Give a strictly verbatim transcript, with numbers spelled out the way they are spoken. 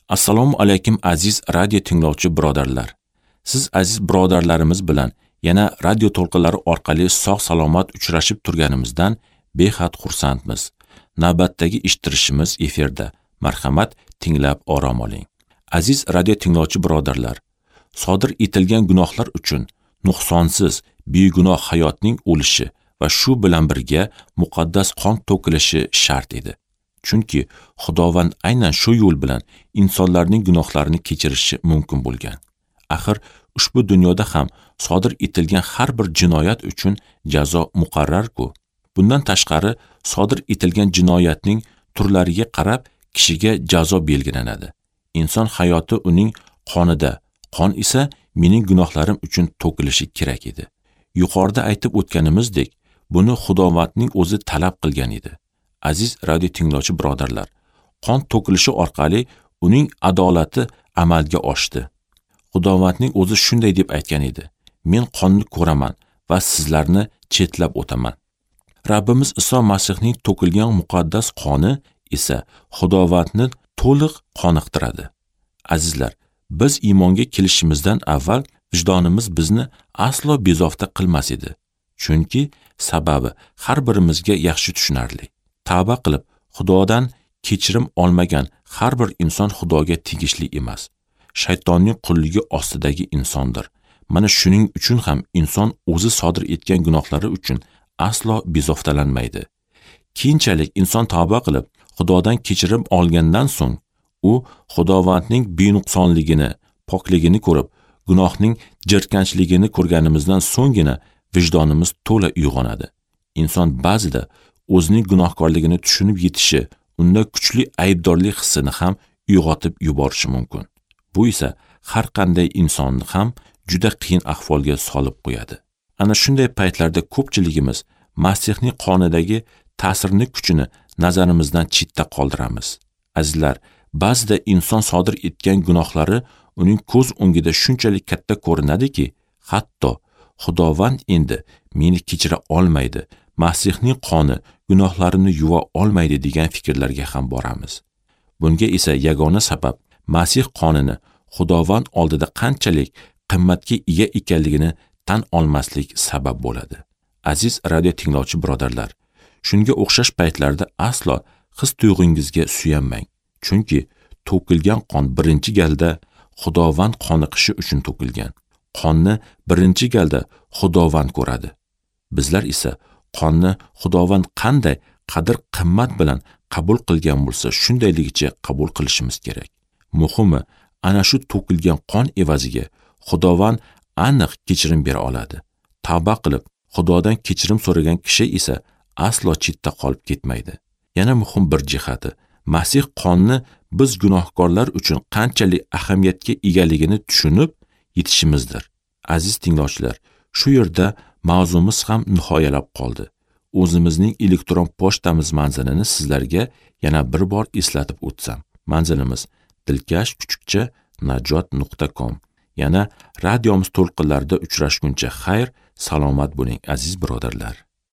Assalomu alaykum aziz radio tinglovchi birodarlar. Siz aziz birodarlarimiz bilan yana radio to'lqinlari orqali sog' salomat uchrashib turganimizdan behad xursandmiz. Navbatdagi eshittirishimiz efirda. Marhamat, tinglab orom oling. Aziz radio tinglovchi birodarlar, sodir etilgan gunohlar uchun nuqsonsiz, begunoh hayotning o'lishi va shu bilan birga muqaddas qon to'kilishi shart edi. Chunki Xudovand aynan shu yo'l bilan insonlarning gunohlarini kechirishi mumkin bo'lgan. Axir ushbu dunyoda ham sodir etilgan har bir jinoyat uchun jazo muqarrar-ku. Bundan tashqari sodir etilgan jinoyatning turlariga qarab kishiga jazo belgilanadi. Inson hayoti uning qonida, qon esa mening gunohlarim uchun to'kilishi kerak edi. Yuqorida aytib o'tganimizdek, buni Xudovandning o'zi talab qilgan edi. Aziz radio tinglovchi birodarlar, qon to'kilishi orqali uning adolati amalga oshdi. Xudovandning o'zi shunday deb aytgan edi: Men qonni ko'raman va sizlarni chetlab o'taman. Rabbimiz Iso Masihning to'kilgan muqaddas qoni esa Xudovandni to'liq qoniqtiradi. Azizlar, biz iymonga kelishimizdan avval vijdonimiz bizni aslo bezovta qilmas edi. Chunki sababi har birimizga yaxshi tushunarli. Tavba qilib, Xudodan kechirim olmagan har bir inson Xudoga tegishli emas. Shaytonning qulligi ostidagi insondir. Mana shuning uchun ham inson o'zi sodir etgan gunohlari uchun aslo bezovtalanmaydi. Keyinchalik inson tavba qilib, Xudodan kechirim olgandan so'ng u Xudovandning benuqsonligini, pokligini ko'rib, gunohning jirkanchligini ko'rganimizdan so'nggina vijdonimiz to'la uyg'onadi. Inson ba'zida o'zining gunohkorligini tushunib yetishi, unda kuchli aybdorlik hissini ham uyg'otib yuborishi mumkin. Bu esa har qanday insonni ham juda qiyin ahvolga solib qo'yadi. Ana shunday paytlarda ko'pchiligimiz Masihning qonidagi ta'sirni kuchini nazarimizdan chetda qoldiramiz. Azizlar, ba'zida inson sodir etgan gunohlari uning ko'z o'ngida shunchalik katta ko'rinadiki, hatto Xudovand endi meni kechira olmaydi, Masihning qoni gunohlarimni yuva olmaydi degan fikrlarga ham boramiz. Bunga esa yagona sabab Masih qonini Xudovand oldida qanchalik qimmatga ega ekanligini tan olmaslik sabab bo'ladi. Aziz radio tinglovchi birodarlar, shunga o'xshash paytlarda aslo his tuyg'ungizga suyanmang. Chunki to'kilgan qon birinchi galda Xudovand qoniqishi uchun to'kilgan. Qonni birinchi galda Xudovand ko'radi. Bizlar esa qonni Xudovand qanday qadr-qimmat bilan qabul qilgan bo'lsa, shundayligicha qabul qilishimiz kerak. Muhimi, ana shu to'kilgan qon evaziga Xudovand aniq kechirim bera oladi. Tavba qilib, Xudodan kechirim so'ragan kishi esa aslo chetda qolib ketmaydi. Yana muhim bir jihati, Masih qonni biz gunohkorlar uchun qanchalik ahamiyatga egaligini tushunib yetishimizdir. Aziz tinglovchilar, shu yerda mavzumiz ham nihoyalab qoldi. O'zimizning elektron pochtamiz manzilini sizlarga yana bir bor eslatib o'tsam. Manzilimiz dilkash kuchukcha najot nuqta com. Yana radiomiz to'lqinlarida uchrashguncha xayr, salomat bo'ling aziz birodarlar.